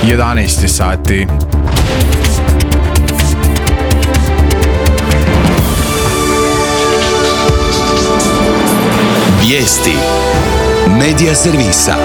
11 sati. Vijesti Medija servisa.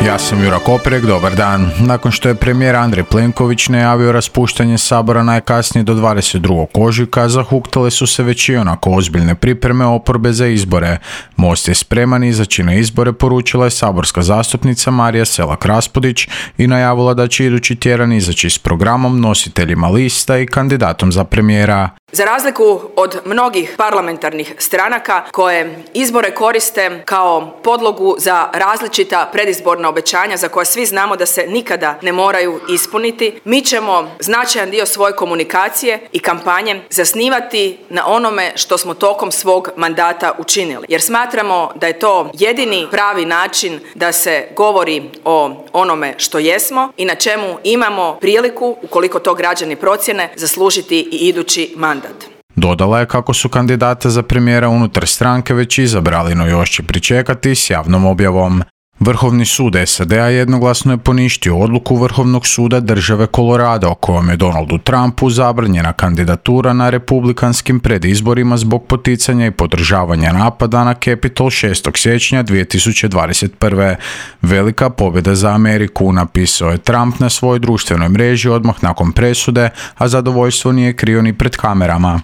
Ja sam Jura Koprek, dobar dan. Nakon što je premijer Andrej Plenković najavio raspuštanje Sabora najkasnije do 22. ožujka, zahuktale su se već ionako ozbiljne pripreme oporbe za izbore. Most je spreman izaći na izbore, poručila je saborska zastupnica Marija Selak-Raspudić i najavila da će idući tjedan izaći s programom, nositeljima lista i kandidatom za premijera. Za razliku od mnogih parlamentarnih stranaka koje izbore koriste kao podlogu za različita predizborna obećanja za koja svi znamo da se nikada ne moraju ispuniti, mi ćemo značajan dio svoje komunikacije i kampanje zasnivati na onome što smo tokom svog mandata učinili. Jer smatramo da je to jedini pravi način da se govori o onome što jesmo i na čemu imamo priliku, ukoliko to građani procjene, zaslužiti i idući mandat. Dodala je kako su kandidata za premijera unutar stranke već izabrali, no još će pričekati s javnom objavom. Vrhovni sud SAD-a jednoglasno je poništio odluku Vrhovnog suda države Colorado kojom je Donaldu Trumpu zabranjena kandidatura na republikanskim predizborima zbog poticanja i podržavanja napada na Capitol 6. siječnja 2021. Velika pobjeda za Ameriku, napisao je Trump na svojoj društvenoj mreži odmah nakon presude, a zadovoljstvo nije krio ni pred kamerama.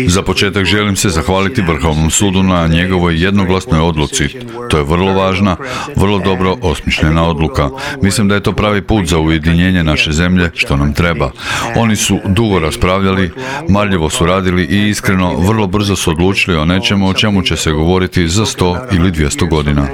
Za početak želim se zahvaliti Vrhovnom sudu na njegovoj jednoglasnoj odluci. To je vrlo važna, vrlo dobro osmišljena odluka. Mislim da je to pravi put za ujedinjenje naše zemlje, što nam treba. Oni su dugo raspravljali, marljivo su radili i iskreno vrlo brzo su odlučili o nečemu o čemu će se govoriti za 100 ili 200 godina.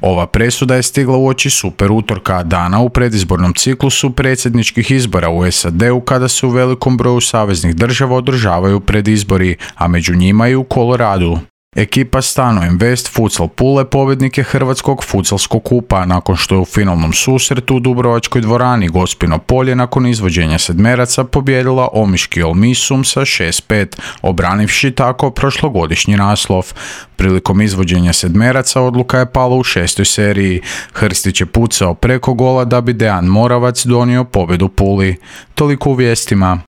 Ova presuda je stigla uoči super utorka, dana u predizbornom ciklusu predsjedničkih izbora u SAD-u kada se u velikom broju saveznih država održavaju predizbori, a među njima i u Koloradu. Ekipa Stano Invest Futsal Pule pobjednik je Hrvatskog futsalskog kupa nakon što je u finalnom susretu u Dubrovačkoj dvorani Gospino polje nakon izvođenja sedmeraca pobijedila Omiški Olmisum sa 6-5, obranivši tako prošlogodišnji naslov. Prilikom izvođenja sedmeraca odluka je pala u 6. seriji. Hrstić je pucao preko gola da bi Dejan Moravac donio pobjedu Puli. Toliko u vijestima.